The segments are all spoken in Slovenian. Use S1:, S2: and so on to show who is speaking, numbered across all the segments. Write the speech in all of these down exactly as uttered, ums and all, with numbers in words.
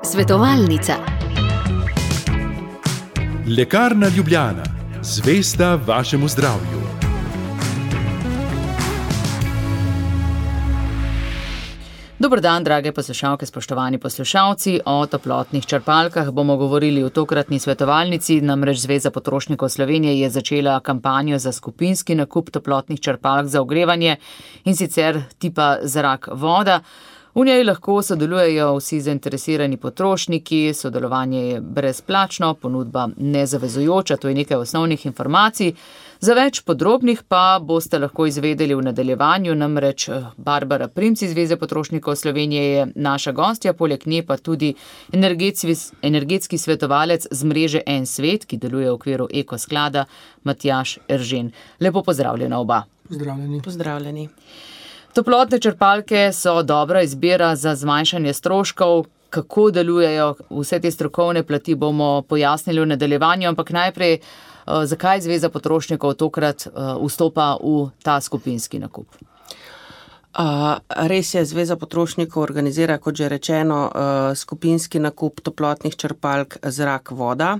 S1: Svetovalnica.
S2: Lekarna Ljubljana, zvesta vašemu zdravju.
S3: Dober dan, drage poslušalke, spoštovani poslušalci. O toplotnih črpalkah bomo govorili v tokratni svetovalnici. Namreč Zveza potrošnikov Slovenije je začela kampanjo za skupinski nakup toplotnih črpalk za ogrevanje, in sicer tipa zrak voda. V njej lahko sodelujejo vsi zainteresirani potrošniki, sodelovanje je brezplačno, ponudba nezavezujoča, to je nekaj osnovnih informacij. Za več podrobnih pa boste lahko izvedeli v nadaljevanju, namreč Barbara Primc iz Zveze potrošnikov Slovenije je naša gostja, poleg nje pa tudi energetski, energetski svetovalec z mreže En svet, ki deluje v okviru Eko sklada, Matjaž Eržen. Lepo pozdravljena oba.
S4: Pozdravljeni.
S5: Pozdravljeni.
S3: Toplotne črpalke so dobra izbira za zmanjšanje stroškov. Kako delujejo, vse te strokovne plati bomo pojasnili v nadaljevanju, ampak najprej, zakaj Zveza potrošnikov tokrat vstopa v ta skupinski nakup?
S5: Uh, res je, Zveza potrošnikov organizira, kot že rečeno, uh, skupinski nakup toplotnih črpalk zrak voda.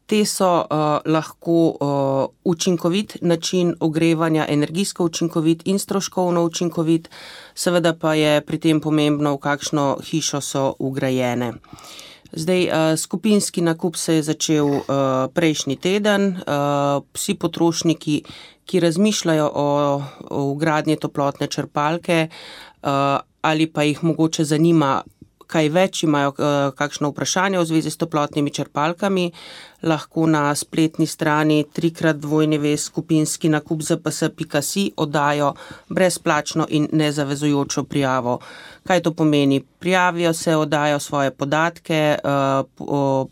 S5: Te so uh, lahko uh, učinkovit način ogrevanja, energijsko učinkovit in stroškovno učinkovit, seveda pa je pri tem pomembno, v kakšno hišo so vgrajene. Zdaj, uh, skupinski nakup se je začel uh, prejšnji teden. Uh, vsi potrošniki, ki razmišljajo o, o vgradnji toplotne črpalke uh, ali pa jih mogoče zanima, kaj več imajo uh, kakšno vprašanje v zvezi s toplotnimi črpalkami, lahko na spletni strani trikrat dvojni skupinski nakup z p s pika si oddajo brezplačno in nezavezujočo prijavo. Kaj to pomeni? Prijavijo se, oddajo svoje podatke, uh,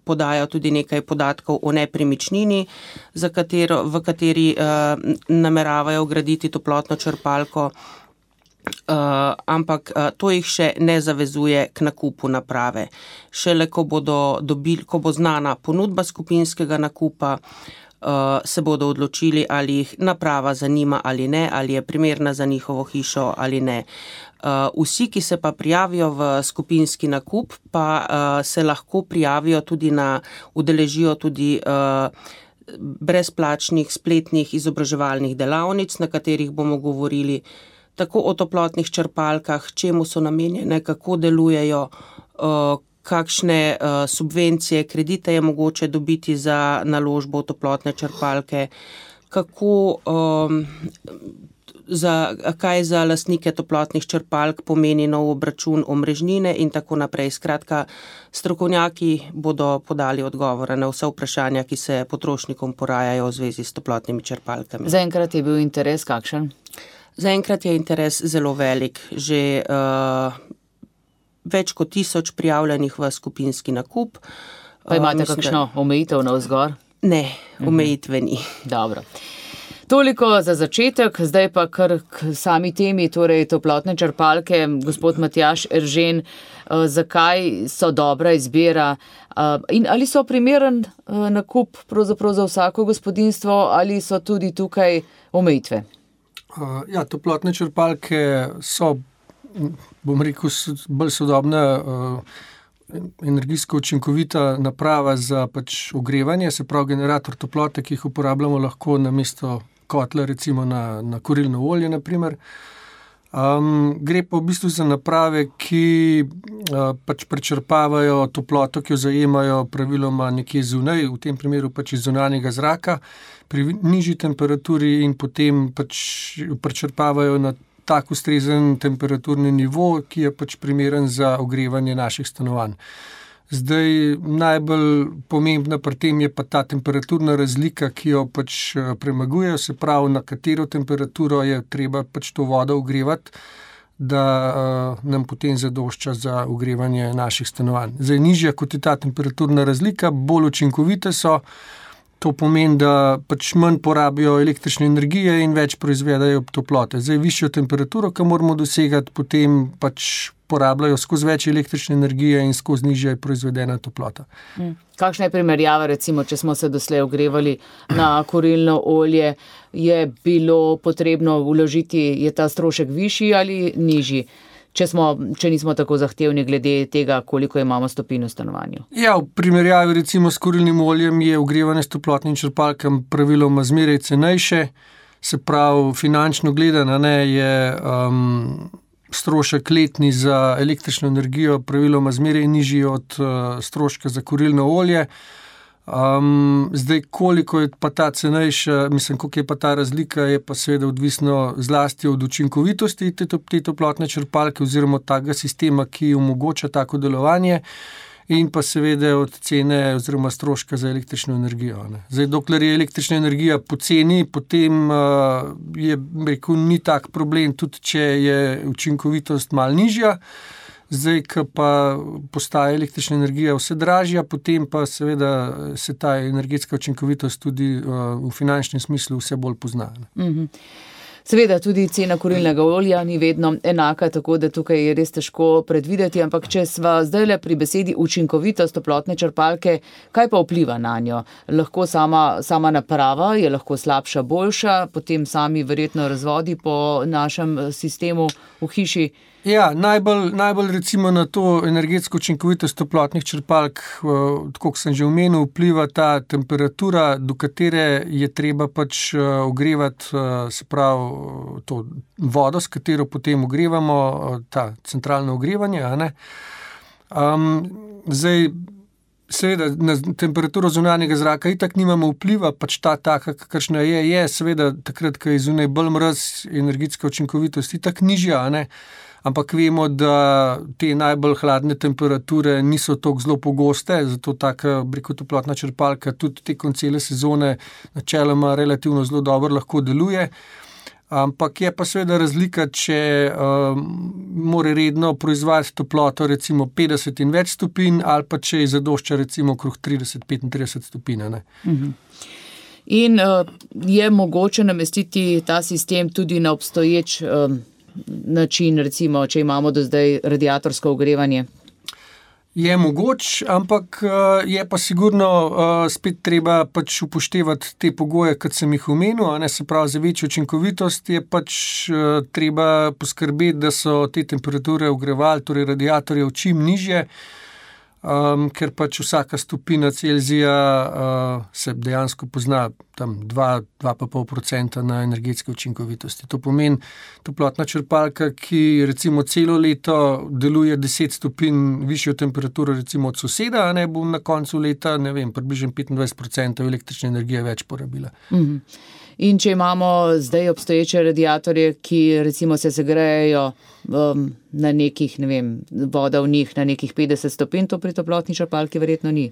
S5: podajo tudi nekaj podatkov o nepremičnini, za katero, v kateri uh, nameravajo vgraditi toplotno črpalko. Uh, ampak uh, to jih še ne zavezuje k nakupu naprave. Šele ko bodo dobili, ko bo znana ponudba skupinskega nakupa, uh, se bodo odločili, ali jih naprava zanima ali ne, ali je primerna za njihovo hišo ali ne. Uh, vsi, ki se pa prijavijo v skupinski nakup, pa uh, se lahko prijavijo tudi na, udeležijo tudi uh, brezplačnih spletnih izobraževalnih delavnic, na katerih bomo govorili tako o toplotnih črpalkah, čemu so namenjene, kako delujejo, kakšne subvencije, kredite je mogoče dobiti za naložbo v toplotne črpalke, kako, za, kaj za lastnike toplotnih črpalk pomeni nov obračun omrežnine in tako naprej. Skratka, strokovnjaki bodo podali odgovore na vse vprašanja, ki se potrošnikom porajajo v zvezi s toplotnimi črpalkami.
S3: Zaenkrat je bil interes kakšen?
S5: Zaenkrat je interes zelo velik. Že uh, več kot tisoč prijavljenih v skupinski nakup.
S3: Pa imate
S5: uh,
S3: kakšno da... omejitev navzgor?
S5: Ne, omejitve ni.
S3: Dobro. Toliko za začetek, zdaj pa kar k sami temi, torej toplotne črpalke. Gospod Matjaž Eržen, uh, zakaj so dobra izbira uh, in ali so primeren uh, nakup pravzaprav za vsako gospodinjstvo ali so tudi tukaj omejitve?
S4: Uh, ja, toplotne črpalke so, bom rekel, bolj sodobna, uh, energijsko učinkovita naprava za pač ogrevanje, se pravi generator toplote, ki jih uporabljamo lahko namesto kotla, recimo na, na kurilno olje, na primer. Um, gre pa v bistvu za naprave, ki uh, pač prečrpavajo toploto, ki jo zajemajo praviloma nekje zunaj, v tem primeru pač iz zunanjega zraka, pri nižji temperaturi in potem pač prečrpavajo na tak ustrezen temperaturni nivo, ki je pač primeren za ogrevanje naših stanovanj. Zdaj, najbolj pomembna pri tem je pa ta temperaturna razlika, ki jo pač premaguje, se pravi, na katero temperaturo je treba pač to vodo ogrevati, da uh, nam potem zadošča za ogrevanje naših stanovanj. Zdaj, nižja kot je ta temperaturna razlika, bolj učinkovite so. To pomeni, da pač manj porabijo električne energije in več proizvedajo toplote. Zdaj, višjo temperaturo, ki moramo dosegati, potem pač porabljajo skozi več električne energije in skozi nižja proizvedena toplota.
S3: Hmm. Kakšna je primerjava, recimo, če smo se doslej ogrevali na kurilno olje, je bilo potrebno vložiti, je ta strošek višji ali nižji? če, smo, če nismo tako zahtevni glede tega, koliko imamo stopinj v stanovanju.
S4: Ja, v primerjavi recimo s kurilnim oljem je ogrevanje s toplotnim črpalkam praviloma zmeraj cenejše, se pravi finančno gledano, ne, je um, strošek letni za električno energijo praviloma zmeraj nižji od uh, stroška za kurilno olje. Um, zdaj, koliko je pa ta cenejša, mislim, koliko je pa ta razlika, je pa seveda odvisno zlasti od učinkovitosti te, te toplotne črpalke oziroma takega sistema, ki omogoča tako delovanje, in pa seveda od cene oziroma stroška za električno energijo. Ne. Zdaj, dokler je električna energija poceni, potem uh, je, rekel, ni tak problem, tudi če je učinkovitost malo nižja. Zdaj, ko pa postaje električna energija vse dražja, potem pa seveda se ta energetska učinkovitost tudi uh, v finančnem smislu vse bolj pozna.
S3: Mm-hmm. Seveda tudi cena kurilnega olja ni vedno enaka, tako da tukaj je res težko predvideti, ampak če sva zdaj le pri besedi učinkovitost toplotne črpalke, kaj pa vpliva na njo? Lahko sama, sama naprava je lahko slabša, boljša, potem sami verjetno razvodi po našem sistemu v hiši.
S4: Ja, najbolj, najbolj recimo na to energetsko učinkovitost toplotnih črpalk, tako kot sem že omenil, vpliva ta temperatura, do katere je treba pač ogrevati, se pravi to vodo, s katero potem ogrevamo, ta centralno ogrevanje, a ne. Um, zdaj, seveda, na temperaturo zunanjega zraka itak nimamo vpliva, pač ta taka, kakršna je, je seveda takrat, ko je zunaj bolj mraz, energetska učinkovitost itak nižja, a ne. Ampak vemo, da te najbolj hladne temperature niso tako zelo pogoste, zato taka breko toplotna črpalka tudi tekom cele sezone načeloma relativno zelo dobro lahko deluje. Ampak je pa seveda razlika, če um, mora redno proizvajati toploto recimo petdeset in več stopinj, ali pa če je zadošča recimo okrog trideset do petintrideset stopinj. Ne?
S3: Mhm. In uh, je mogoče namestiti ta sistem tudi na obstoječ um, način, recimo, če imamo do zdaj radiatorsko ogrevanje?
S4: Je mogoč, ampak je pa sigurno spet treba pač upoštevati te pogoje, kot sem jih omenil, a ne, se pravi za večjo učinkovitost je pač treba poskrbeti, da so te temperature ogreval, torej radiatorjev čim nižje, um, ker pač vsaka stopina Celzija uh, se dejansko pozna tam dva do dva celih pet procenta na energetske učinkovitosti. To pomeni toplotna črpalka, ki recimo celo leto deluje deset stopinj višjo temperaturo recimo od soseda, a ne bo na koncu leta, ne vem, približno petindvajset procentov električne energije več porabila.
S3: Mhm. In če imamo zdaj obstoječe radiatorje, ki recimo se segrejejo um, na nekih, ne vem, voda v njih na nekih petdeset stopinj, to pri toplotni črpalki verjetno ni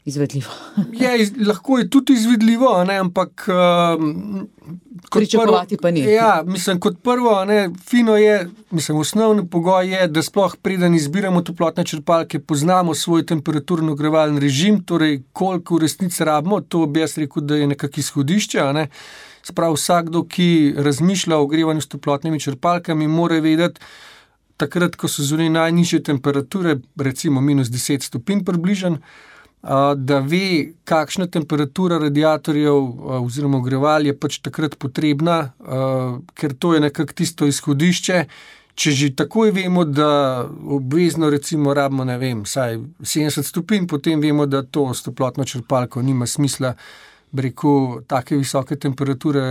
S3: izvedljivo.
S4: Je, iz, lahko je tudi izvedljivo, a ne, ampak um,
S3: pričakovati pa ni.
S4: Ja, mislim, kot prvo, a ne, fino je, mislim, osnovni pogoj je, da sploh preden izbiramo toplotne črpalke, poznamo svoj temperaturno ogrevalni režim, torej koliko v resnici rabimo, to bi jaz rekel, da je nekak izhodišče, a ne. Sprav vsakdo, ki razmišlja o ogrevanju s toplotnimi črpalkami, mora vedeti, takrat, ko so zunaj najnižje temperature, recimo minus deset stopinj približno, da ve, kakšna temperatura radiatorjev oziroma ogreval je pač takrat potrebna, ker to je nekako tisto izhodišče. Če že takoj vemo, da obvezno recimo rabimo, ne vem, vsaj sedemdeset stopinj, potem vemo, da to s toplotno črpalko nima smisla, bi rekel, take visoke temperature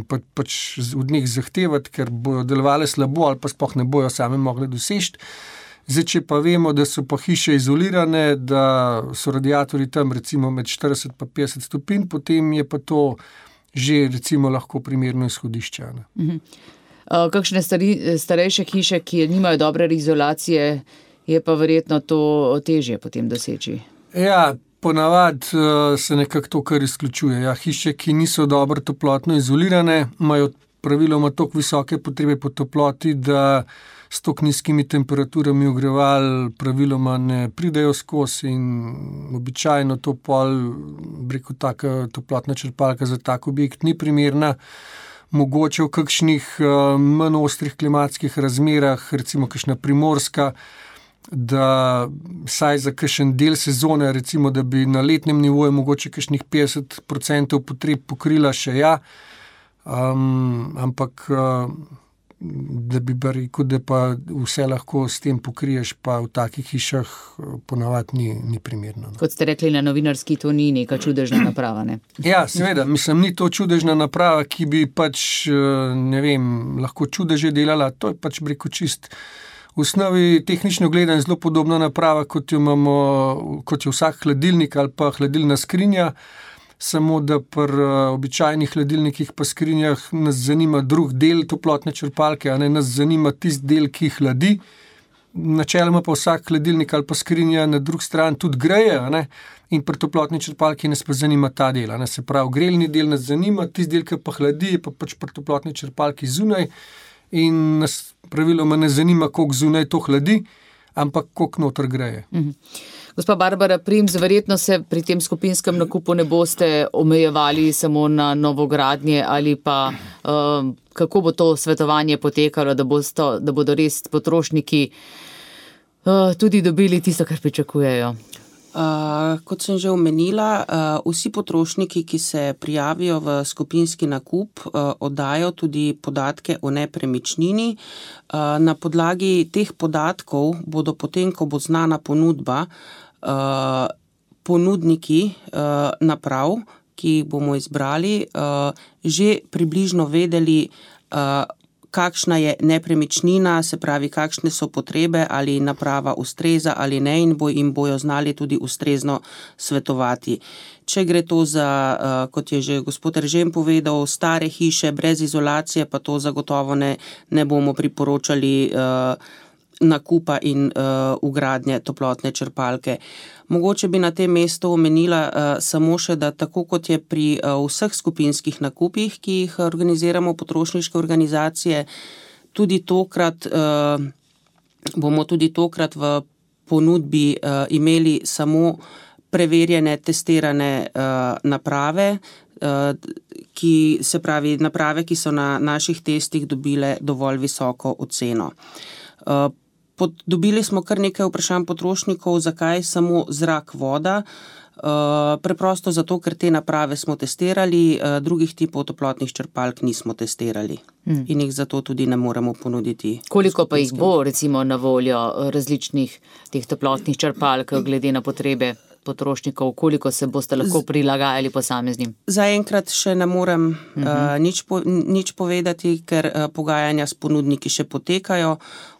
S4: pa, pač od njih zahtevati, ker bojo delovale slabo ali pa sploh ne bojo same mogli doseči. Zdaj, če pa vemo, da so pa hiše izolirane, da so radiatorji tam recimo med štirideset pa petdeset stopinj, potem je pa to že recimo lahko primerno izhodišče.
S3: Mhm. Kakšne stari, starejše hiše, ki nimajo dobre izolacije, je pa verjetno to težje potem doseči?
S4: Ja, ponavadi se nekako to kar izključuje. Ja, hiše, ki niso dobro toplotno izolirane, imajo praviloma toliko visoke potrebe po toploti, da s toliko nizkimi temperaturami ogreval praviloma ne pridejo skozi in običajno to pol, breko, taka toplotna črpalka za tak objekt ni primerna. Mogoče v kakšnih manj ostrih klimatskih razmerah, recimo kakšna primorska, da saj za kakšen del sezone, recimo, da bi na letnem nivoju mogoče kakšnih petdeset procentov potreb pokrila še ja, um, ampak uh, da bi pa rekel, da pa vse lahko s tem pokriješ, pa v takih hišah ponavadi ni, ni primerno.
S3: Kot ste rekli na novinarski, to ni neka čudežna naprava, ne?
S4: Ja, seveda, mislim, ni to čudežna naprava, ki bi pač, ne vem, lahko čudeže delala, to je pač breko čist. V osnovi tehnično gledano zelo podobna naprava, kot jo imamo, kot je vsak hladilnik ali pa hladilna skrinja, samo da pri običajnih hladilnikih pa skrinjah nas zanima drug del toplotne črpalke, a ne nas zanima tisti del, ki hladi. Načeloma pa vsak hladilnik ali pa skrinja na drug stran tudi greje, a ne? In pri toplotni črpalki nas pa zanima ta del, a ne? Se pravi, grelni del nas zanima, tisti del, ki pa hladi, je pa pač pri toplotni črpalki zunaj in nas praviloma ne zanima, koliko zunaj to hladi, ampak koliko noter greje.
S3: Mhm. Gospa Barbara Primc, verjetno se pri tem skupinskem nakupu ne boste omejevali samo na novogradnje ali pa uh, kako bo to svetovanje potekalo, da, bosto, da bodo res potrošniki uh, tudi dobili tisto, kar pričakujejo.
S5: Uh, kot sem že omenila, uh, vsi potrošniki, ki se prijavijo v skupinski nakup, uh, oddajo tudi podatke o nepremičnini. Uh, na podlagi teh podatkov bodo potem, ko bo znana ponudba, uh, ponudniki uh, naprav, ki jih bomo izbrali, uh, že približno vedeli, uh, kakšna je nepremičnina, se pravi, kakšne so potrebe, ali naprava ustreza ali ne in bo, jim bojo znali tudi ustrezno svetovati. Če gre to za, kot je že gospod Eržen povedal, stare hiše brez izolacije, pa to zagotovo ne, ne bomo priporočali nakupa in vgradnje toplotne črpalke. Mogoče bi na tem mestu omenila uh, samo še, da tako kot je pri uh, vseh skupinskih nakupih, ki jih organiziramo potrošniške organizacije, tudi tokrat uh, bomo tudi tokrat v ponudbi uh, imeli samo preverjene, testirane uh, naprave, uh, ki, se pravi naprave, ki so na naših testih dobile dovolj visoko oceno. Uh, Pod, dobili smo kar nekaj vprašanj potrošnikov, zakaj samo zrak, voda. Uh, preprosto zato, ker te naprave smo testirali, uh, drugih tipov toplotnih črpalk nismo testirali hmm. in jih zato tudi ne moremo ponuditi.
S3: Koliko pa jih bo recimo na voljo različnih teh toplotnih črpalk glede na potrebe potrošnikov, koliko se boste lahko prilagajali posameznim?
S5: Zaenkrat še ne morem uh-huh. uh, nič, po, nič povedati, ker uh, pogajanja s ponudniki še potekajo,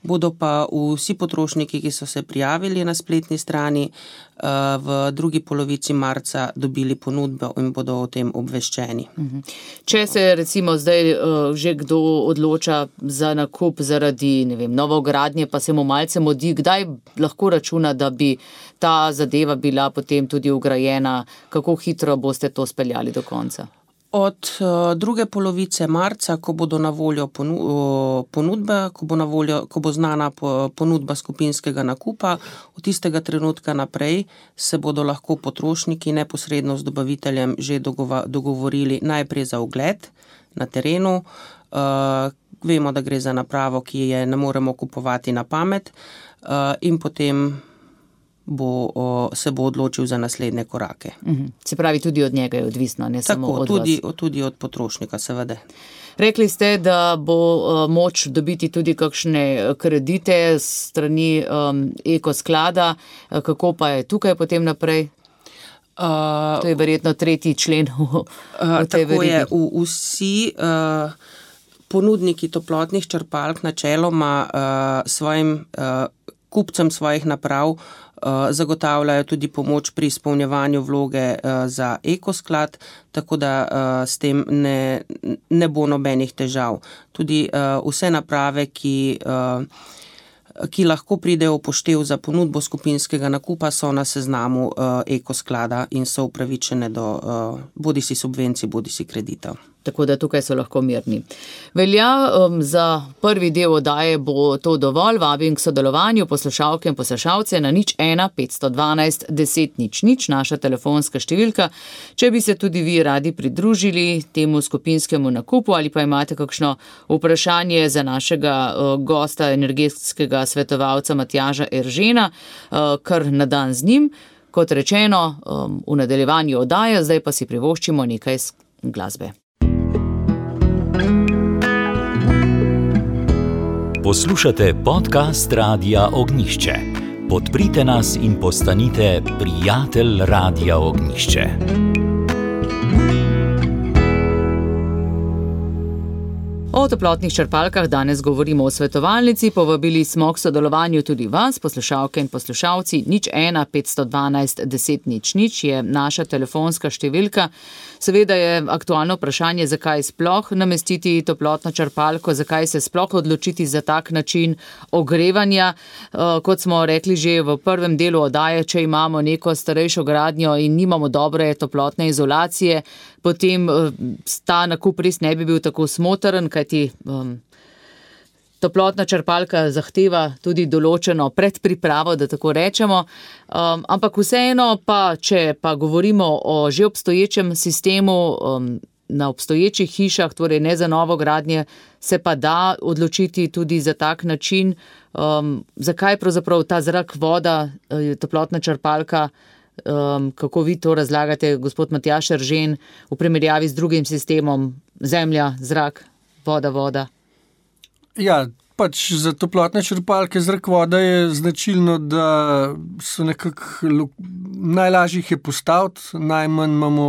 S5: bodo pa vsi potrošniki, ki so se prijavili na spletni strani, uh, v drugi polovici marca dobili ponudbo in bodo o tem obveščeni.
S3: Uh-huh. Če se recimo zdaj uh, že kdo odloča za nakup zaradi, ne vem, novogradnje, pa se mu malce modi, kdaj lahko računa, da bi ta zadeva bila potem tudi ugrajena, kako hitro boste to speljali do konca?
S5: Od uh, druge polovice marca, ko bodo na voljo ponu, uh, ponudbe, ko bo, na voljo, ko bo znana po, ponudba skupinskega nakupa, od tistega trenutka naprej se bodo lahko potrošniki neposredno z dobaviteljem že dogova, dogovorili najprej za ogled na terenu. Uh, vemo, da gre za napravo, ki je ne moremo kupovati na pamet uh, in potem Bo, o, se bo odločil za naslednje korake.
S3: Uhum. Se pravi, tudi od njega je odvisno, ne
S5: Tako,
S3: samo od
S5: tudi,
S3: vas.
S5: tudi od potrošnika, seveda.
S3: Rekli ste, da bo uh, moč dobiti tudi kakšne kredite strani um, ekosklada. Uh, kako pa je tukaj potem naprej? Uh, to je verjetno tretji člen v, v tej
S5: Tako
S3: verigi.
S5: je, v, vsi uh, ponudniki toplotnih črpalk načeloma uh, svojim uh, kupcem svojih naprav zagotavljajo tudi pomoč pri izpolnjevanju vloge za ekosklad, tako da s tem ne, ne bo nobenih težav. Tudi vse naprave, ki, ki lahko pridejo v poštev za ponudbo skupinskega nakupa, so na seznamu ekosklada in so upravičene do bodisi subvencij, bodisi kreditov.
S3: Tako da tukaj so lahko mirni. Velja, um, za prvi del oddaje bo to dovolj. Vabim k sodelovanju poslušalke in poslušalce na nič ena petsto dvanajst deset nič nič, naša telefonska številka. Če bi se tudi vi radi pridružili temu skupinskemu nakupu ali pa imate kakšno vprašanje za našega uh, gosta, energetskega svetovalca Matjaža Eržena, uh, kar na dan z njim. Kot rečeno, um, v nadaljevanju oddaje, zdaj pa si privoščimo nekaj glasbe.
S1: Poslušate podcast Radia Ognjišče. Podprite nas in postanite prijatelj Radia Ognjišče.
S3: O toplotnih črpalkah danes govorimo o svetovalnici, povabili smo k sodelovanju tudi vas, poslušalke in poslušalci. Nič ena petsto dvanajst deset nič nič je naša telefonska številka. Seveda je aktualno vprašanje, zakaj sploh namestiti toplotno črpalko, zakaj se sploh odločiti za tak način ogrevanja. Kot smo rekli že v prvem delu oddaje, če imamo neko starejšo gradnjo in nimamo dobre toplotne izolacije, potem ta nakup res ne bi bil tako smotrn, kajti um, toplotna črpalka zahteva tudi določeno predpripravo, da tako rečemo. Um, ampak vseeno pa, če pa govorimo o že obstoječem sistemu, um, na obstoječih hišah, torej ne za novo gradnje, se pa da odločiti tudi za tak način. Um, zakaj pravzaprav ta zrak, voda, toplotna črpalka, um, kako vi to razlagate, gospod Matjaž Eržen, v primerjavi z drugim sistemom, zemlja, zrak, voda, voda?
S4: Ja, pač za toplotne črpalke zrak, voda je značilno, da so nekako najlažje jih je postaviti, najmanj imamo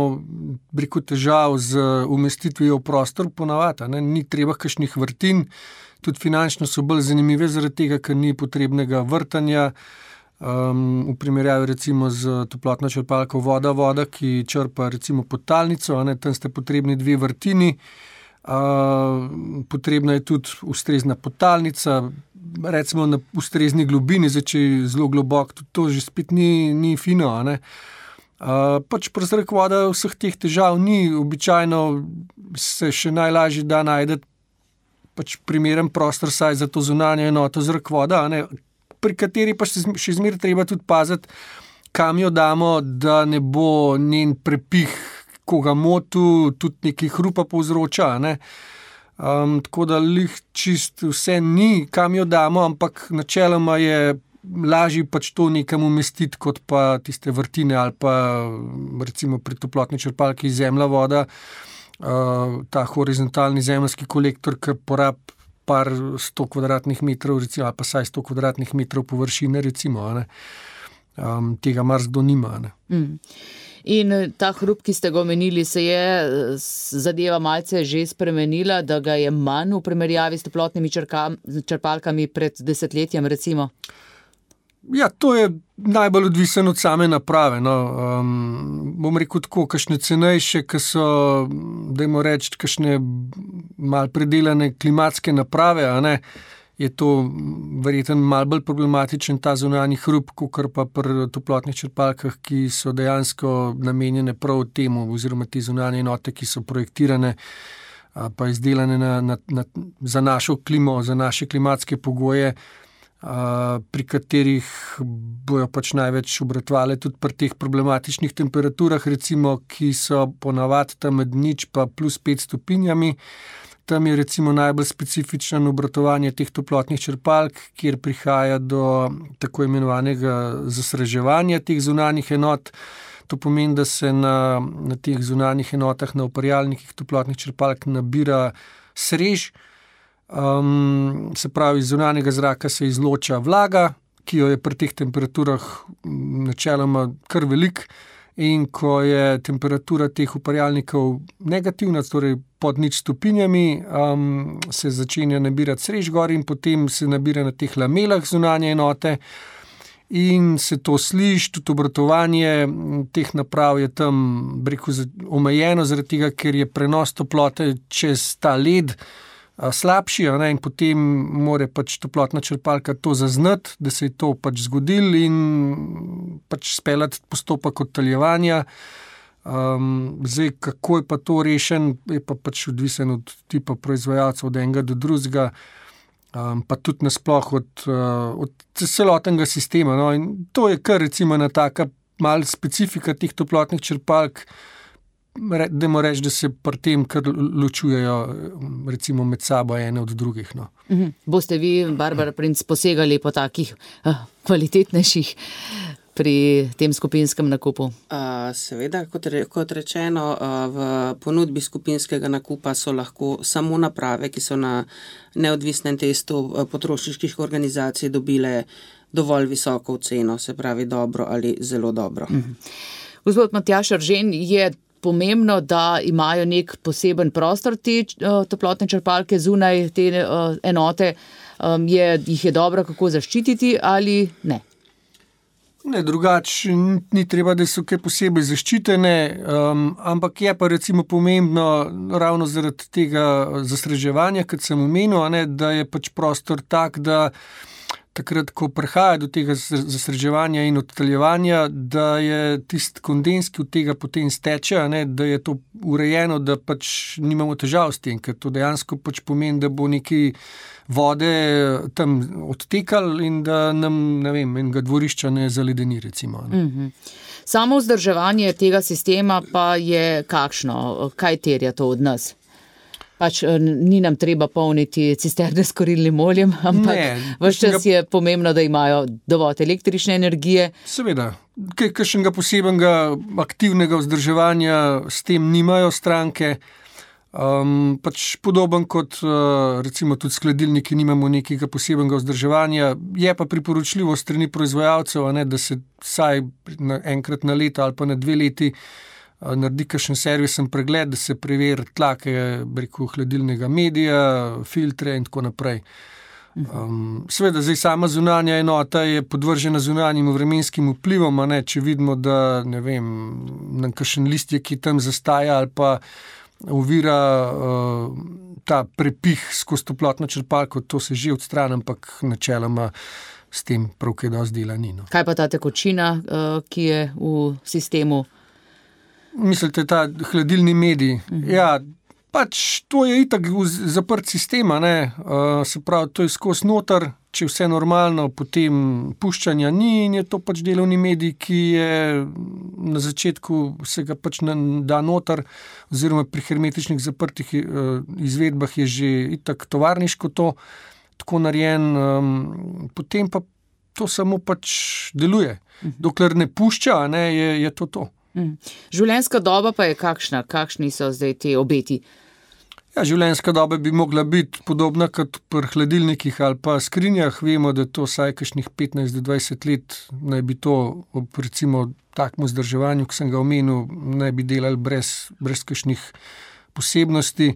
S4: briko težav z umestitvijo v prostor ponavadi, ne, ni treba kakšnih vrtin, tudi finančno so bolj zanimive zaradi tega, ker ni potrebnega vrtanja, um, v primerjavi recimo z toplotno črpalko voda, voda, ki črpa recimo podtalnico, ne, tam ste potrebni dve vrtini. Uh, potrebna je tudi ustrezna podtalnica, recimo na ustrezni globini, zdaj če je zelo globok, tudi to že spet ni, ni fino. Ne? Uh, pač pri zrak, voda vseh teh težav ni, običajno se še najlažje da najdeti pač primeren prostor saj za to zunanjo enoto zrak, voda, ne? Pri kateri pa še, še zmeraj treba tudi paziti, kam jo damo, da ne bo njen prepih koga motu, tudi neki hrupa povzroča. Ne? Um, tako da lih čist vse ni, kam jo damo, ampak načeloma je lažje pač to nekam umestiti, kot pa tiste vrtine ali pa recimo pri toplotni črpalki zemlja, voda, uh, ta horizontalni zemeljski kolektor, ki porab par sto kvadratnih metrov, recimo, ali pa saj sto kvadratnih metrov površine, recimo, ne? Um, tega marsikdo nima. Ne?
S3: Mm. In ta hrup, ki ste ga omenili, se je zadeva malce že spremenila, da ga je manj v primerjavi s toplotnimi črka, črpalkami pred desetletjem, recimo?
S4: Ja, to je najbolj odvisen od same naprave. No. Um, bom rekel tako, kakšne cenejše, ki so, dajmo reči, kakšne malo predelane klimatske naprave, a ne, je to verjetno malo bolj problematičen ta zunanji hrup, kakor pa pri toplotnih črpalkah, ki so dejansko namenjene prav temu, oziroma te zunanje enote, ki so projektirane pa izdelane na, na, na, za našo klimo, za naše klimatske pogoje, a, pri katerih bojo pač največ obratovale tudi pri teh problematičnih temperaturah, recimo, ki so ponavadi tam med nič pa plus pet stopinjami. Tam je recimo najbolj specifično obratovanje teh toplotnih črpalk, kjer prihaja do tako imenovanega zasreževanja teh zunanjih enot. To pomeni, da se na, na teh zunanjih enotah, na uparjalnikih toplotnih črpalk nabira srež. Um, se pravi, iz zunanjega zraka se izloča vlaga, ki jo je pri teh temperaturah načeloma kar velik. In ko je temperatura teh uparjalnikov negativna, torej pod nič stopinjami, um, se začenja nabirati srež gor in potem se nabira na teh lamelah zunanje enote in se to sliši, tudi obratovanje teh naprav je tam breko omejeno, zaradi tega, ker je prenos toplote čez ta led slabši, ne, in potem mora pač toplotna črpalka to zaznati, da se je to pač zgodil in pač speljati postopek odtaljevanja. Um, zdaj, kako je pa to rešen, je pa pač odvisen od tipa proizvajalcev, od enega do drugega, um, pa tudi nasploh od, uh, od celotnega sistema. No, in to je kar recimo ena taka mal specifika teh toplotnih črpalk, dajmo reči, da se pri tem kar ločujejo recimo med sabo ene od drugih. No.
S3: Mhm. Boste vi, Barbara Princ, posegali po takih uh, kvalitetnejših pri tem skupinskem nakupu?
S5: Uh, seveda, kot, re, kot rečeno, uh, v ponudbi skupinskega nakupa so lahko samo naprave, ki so na neodvisnem testu uh, potrošniških organizacij dobile dovolj visoko ceno, se pravi dobro ali zelo dobro.
S3: Mhm. Gospod Matjaž Eržen, je pomembno, da imajo nek poseben prostor te uh, toplotne črpalke zunaj te uh, enote, um, je, jih je dobro kako zaščititi ali ne?
S4: Ne, drugače ni treba, da so kaj posebej zaščitene, um, ampak je pa recimo pomembno ravno zaradi tega zastreževanja, kot sem omenil, ne, da je pač prostor tak, da takrat, ko prihaja do tega zastreževanja in odtaljevanja, da je tisti kondens, ki od tega potem steče, ne, da je to urejeno, da pač nimamo težav s tem, ker to dejansko pač pomeni, da bo neki vode tam odtekal in da nam, ne vem, enega dvorišča ne zaledeni, recimo. Ne.
S3: Mhm. Samo vzdrževanje tega sistema pa je kakšno? Kaj terja to od nas? Pač ni nam treba polniti cisterne s kurilnim oljem, ampak ves čas je pomembno, da imajo dovolj električne energije.
S4: Seveda, kaj kakšnega posebnega aktivnega vzdrževanja s tem nimajo stranke. Um, pač podoben kot uh, recimo tudi skladilniki nimamo nekega posebnega vzdrževanja, je pa priporočljivo strani proizvajalcev, a ne, da se vsaj na, enkrat na leto ali pa na dve leti uh, naredi kakšen servisen pregled, da se preveri tlake, rekel, hladilnega medija, filtre in tako naprej. Um, seveda, zdaj sama zunanja enota je podvržena zunanjim vremenskim vplivom, a ne, če vidimo, da ne vem, na kakšen listje, ki tam zastaja ali pa ovira uh, ta prepih skozi toplotno črpalko, to se že odstrani, ampak načeloma s tem prav kaj dosti dela ni. No.
S3: Kaj pa ta tekočina, uh, ki je v sistemu?
S4: Mislite, ta hladilni medij? Mhm. Ja, pač to je itak zaprt sistem, ne? Uh, se pravi, to je skozi noter, če vse normalno, potem puščanja ni in je to pač delovni medij, ki je na začetku se ga pač da noter, oziroma pri hermetičnih zaprtih uh, izvedbah je že itak tovarniško to tako narejen, um, potem pa to samo pač deluje. Dokler ne pušča, ne, je, je to to.
S3: Življenjska doba pa je kakšna? Kakšni so zdaj te obeti?
S4: Ja, življenjska doba bi mogla biti podobna kot pri hladilnikih ali pa skrinjah. Vemo, da to vsaj kakšnih petnajst do dvajset let naj bi to ob recimo takmu vzdrževanju, ki sem ga omenil, naj bi delali brez, brez kakšnih posebnosti.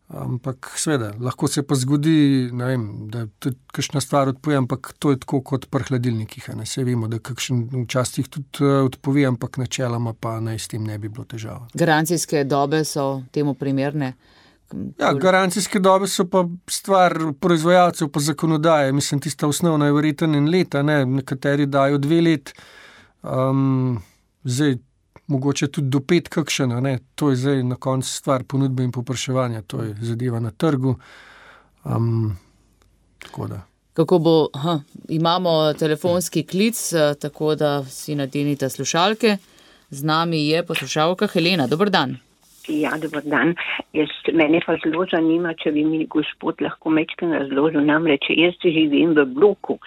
S4: Ampak seveda, lahko se pa zgodi, ne vem, da tudi kakšna stvar odpove, ampak to je tako kot pri hladilnikih. Ne, se vemo, da kakšen včasih tudi odpove, ampak načeloma pa naj s tem ne bi bilo težava.
S3: Garancijske dobe so temu primerne?
S4: Ja, garancijske dobe so pa stvar proizvajalcev pa zakonodaje. Mislim, tista osnovna je verjetno en leta, ne, nekateri dajo dve let, um, zdaj mogoče tudi do pet kakšena, ne, to je zdaj na koncu stvar ponudbe in povpraševanja, to je zadeva na trgu. Um, tako da.
S3: Kako bo, aha, imamo telefonski klic, tako da si nadenite slušalke. Z nami je poslušalka Helena. Dober dan.
S6: Ja, dober dan. Jaz, mene pa zelo zanima, če bi mi gospod lahko mečken razložil, namreč jaz živim v bloku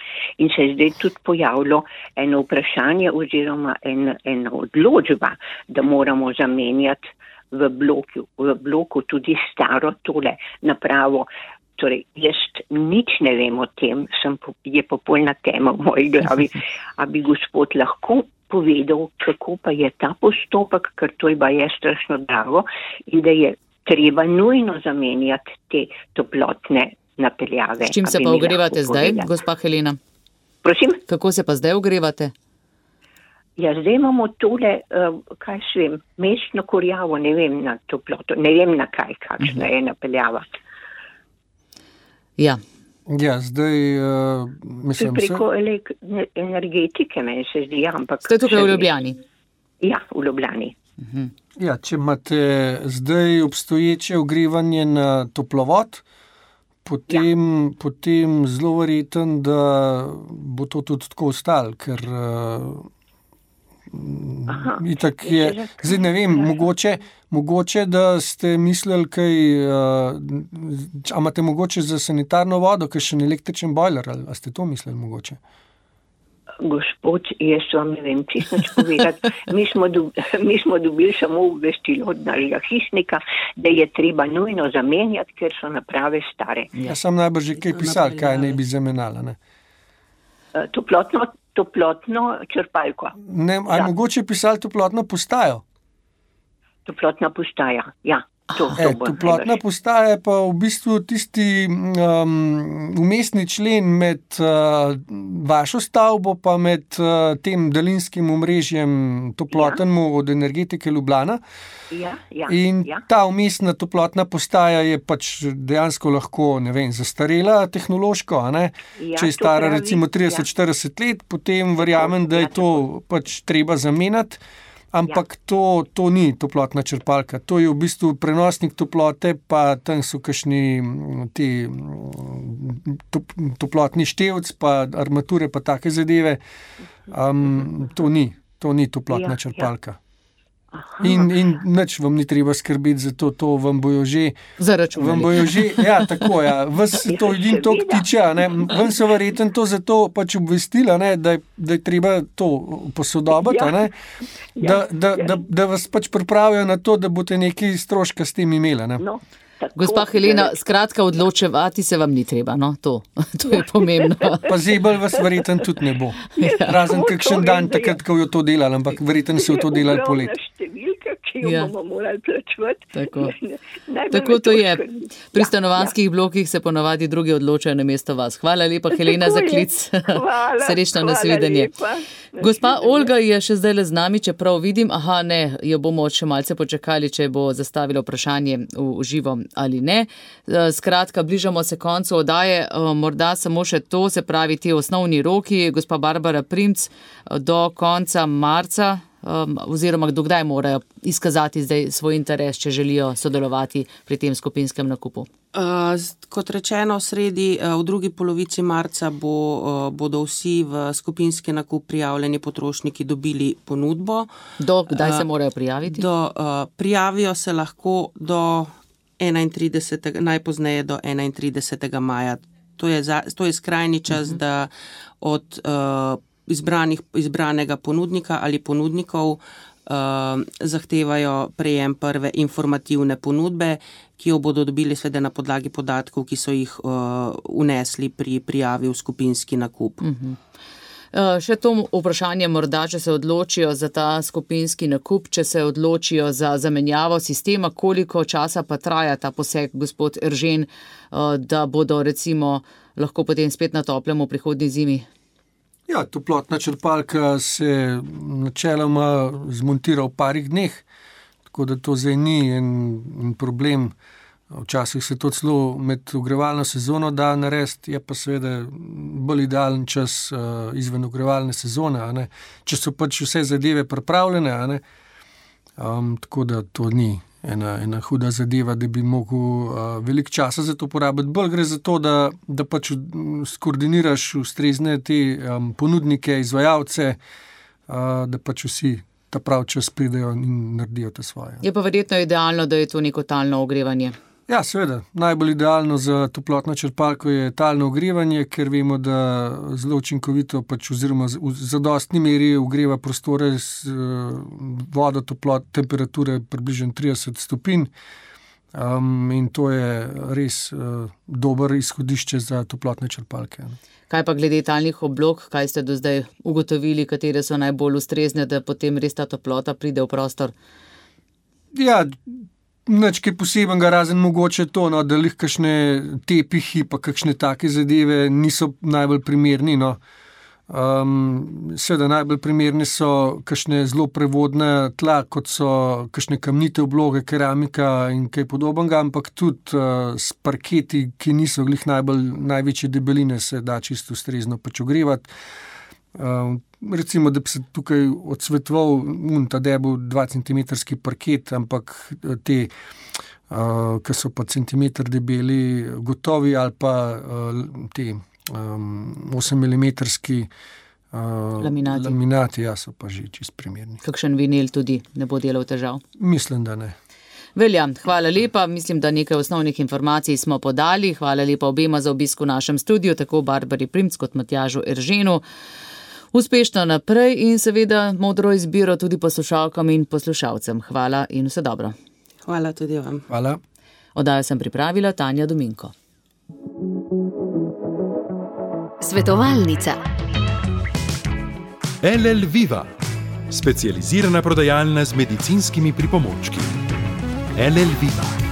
S6: in se je zdaj tudi pojavilo eno vprašanje oziroma en, ena odločba, da moramo zamenjati v bloku, v bloku tudi staro tole napravo. Torej, jaz nič ne vem o tem, sem, je popolna tema v moji glavi, a bi gospod lahko povedal, kako pa je ta postopek, ker to je pa je strašno drago in da je treba nujno zamenjati te toplotne napeljave.
S3: S čim se pa ogrevate zdaj, gospa Helena?
S6: Prosim?
S3: Kako se pa zdaj ogrevate?
S6: Ja, zdaj imamo tole, uh, kaj še vem, mestno kurjavo, ne vem na toploto, ne vem na kaj, kakšna uh-huh. je napeljava.
S3: Ja.
S4: Ja, zdaj, uh, mislim,
S6: preko se... energetike, meni se zdi, ampak...
S3: Ste tukaj v Ljubljani?
S6: Ja, v Ljubljani.
S3: Uh-huh.
S4: Ja, če imate zdaj obstoječe ogrevanje na toplovod, potem, ja. potem zelo verjeten, da bo to tudi tako ostalo, ker uh, itak je, zdaj ne vem, mogoče, mogoče, da ste mislili kaj, uh, a imate mogoče za sanitarno vodo, kakšen električen bojler, ali a ste to mislili mogoče?
S6: Gospod, jaz vam ne vem čisto nič povedati. Mi smo, dob, mi smo dobili samo obvestilo od našega hišnika, da je treba nujno zamenjati, ker so naprave stare.
S4: Ja, sam najbrž že kaj pisal, kaj ne bi zamenjala, ne?
S6: Toplotno, toplotno črpalko.
S4: Ne, aj mogoče pisali toplotno postajo?
S6: Toplotna postaja, ja. To, to
S4: e, toplotna postaja je pa v bistvu tisti um, umestni člen med uh, vašo stavbo pa med uh, tem daljinskim omrežjem toplotnemu ja. Od Energetike Ljubljana.
S6: Ja, ja,
S4: in
S6: ja.
S4: Ta umestna toplotna postaja je pač dejansko lahko, ne vem, zastarela tehnološko, a ne? Ja, če je stara pravi, recimo trideset do štirideset ja. Let, potem verjamem, da je to pač treba zamenjati. Ampak ja. to, to ni toplotna črpalka, to je v bistvu prenosnik toplote, pa tam so kakšni ti top, toplotni števc, pa armature, pa take zadeve. Um, to ni, to ni toplotna ja, črpalka. Ja. In, in nič vam ni treba skrbeti za to, to vam bojo že...
S3: Zaračunali.
S4: Vam bojo že, ja, tako, ja, vas to edin tok tiče, ne, vam so verjetno to zato pač obvestila, ne, da, da je treba to posodobiti, ja. Ne, da, da, da, da vas pač pripravijo na to, da boste nekaj stroška s tem imeli, ne.
S6: No.
S3: Gospa Helena, skratka odločevati se vam ni treba, no, to, to je pomembno.
S4: Pa zebel vas verjetno tudi ne bo. Ja. Razen kakšen dan takrat, ko jo to delali, ampak verjetno se jo to delali polet.
S6: Številka, ki jo ja. Bomo morali plačevati.
S3: Tako, Tako to je. Pri stanovanjskih ja. Blokih se ponavadi drugi odločajo namesto vas. Hvala lepa, Helena, za klic.
S6: Hvala,
S3: Srečno nasvidenje. Gospa Olga je še zdaj le z nami, čeprav vidim, aha, ne, jo bomo še malce počakali, če bo zastavila vprašanje v živo ali ne. Skratka, bližamo se koncu oddaje, morda samo še to, se pravi ti osnovni roki, gospa Barbara Primc, do konca marca, oziroma do kdaj morajo izkazati zdaj svoj interes, če želijo sodelovati pri tem skupinskem nakupu?
S5: Uh, kot rečeno, sredi, uh, v drugi polovici marca bo, uh, bodo vsi v skupinski nakup prijavljeni potrošniki dobili ponudbo.
S3: Do kdaj uh, se morajo prijaviti?
S5: Do, uh, prijavijo se lahko do enaintridesetega najpozneje do enaintridesetega maja. To je, za, to je skrajni čas, uh-huh. da od uh, izbranih, izbranega ponudnika ali ponudnikov uh, zahtevajo prejem prve informativne ponudbe, ki jo bodo dobili svede na podlagi podatkov, ki so jih uh, unesli pri prijavi v skupinski nakup.
S3: Uh-huh. Še to vprašanje morda, če se odločijo za ta skupinski nakup, če se odločijo za zamenjavo sistema, koliko časa pa traja ta poseg, gospod Eržen, da bodo recimo lahko potem spet na toplem v prihodnji zimi?
S4: Ja, toplotna črpalka se načeloma zmontira v parih dneh, tako da to zdaj ni en, en problem. Včasih se to celo med ogrevalno sezono da narediti, je pa seveda bolj idealen čas uh, izven ogrevalne sezone, a ne? Če so pač vse zadeve pripravljene, a ne? Um, tako da to ni ena, ena huda zadeva, da bi mogel uh, veliko časa za to porabiti. Bolj gre za to, da, da pač skoordiniraš ustrezne te um, ponudnike, izvajalce, uh, da pač vsi ta prav čas pridejo in naredijo te svoje.
S3: Je pa verjetno idealno, da je to neko talno ogrevanje.
S4: Ja, seveda. Najbolj idealno za toplotno črpalko je talno ogrevanje, ker vemo, da zelo učinkovito pač oziroma v zadostni meri ogreva prostore z vodo, toplot, temperature približno trideset stopinj. Um, in to je res uh, dober izhodišče za toplotne črpalke.
S3: Kaj pa glede talnih oblog, kaj ste do zdaj ugotovili, katere so najbolj ustrezne, da potem res ta toplota pride v prostor?
S4: Ja, nič kaj posebenega, razen mogoče to, no, da lih kakšne tepihi pa kakšne take zadeve niso najbolj primerni. No. Um, seveda najbolj primerne so kakšne zelo prevodne tla, kot so kakšne kamnite obloge, keramika in kaj podobnega, ampak tudi uh, s parketi, ki niso glih najbolj, največje debeline, se da čisto ustrezno pač ogrevati. Uh, recimo, da bi se tukaj odsvetoval un ta debel dva centimetrski parket, ampak te, uh, ki so pa centimeter debeli, gotovi ali pa uh, te um, osemilimetrski uh,
S3: laminati.
S4: laminati, ja, so pa že čist primerni.
S3: Kakšen vinil tudi ne bo delal težav?
S4: Mislim, da ne.
S3: Velja, hvala lepa. Mislim, da nekaj osnovnih informacij smo podali. Hvala lepa obema za obisk v našem studiu, tako Barbari Primc kot Matjažu Erženu. Uspešno naprej in seveda modro izbiro tudi poslušalkam in poslušalcem. Hvala in vse dobro.
S5: Hvala tudi vam.
S4: Hvala.
S3: Oddajo sem pripravila Tanja Dominko.
S1: Svetovalnica.
S2: L L Viva, specializirana prodajalna z medicinskimi pripomočki. L L Viva.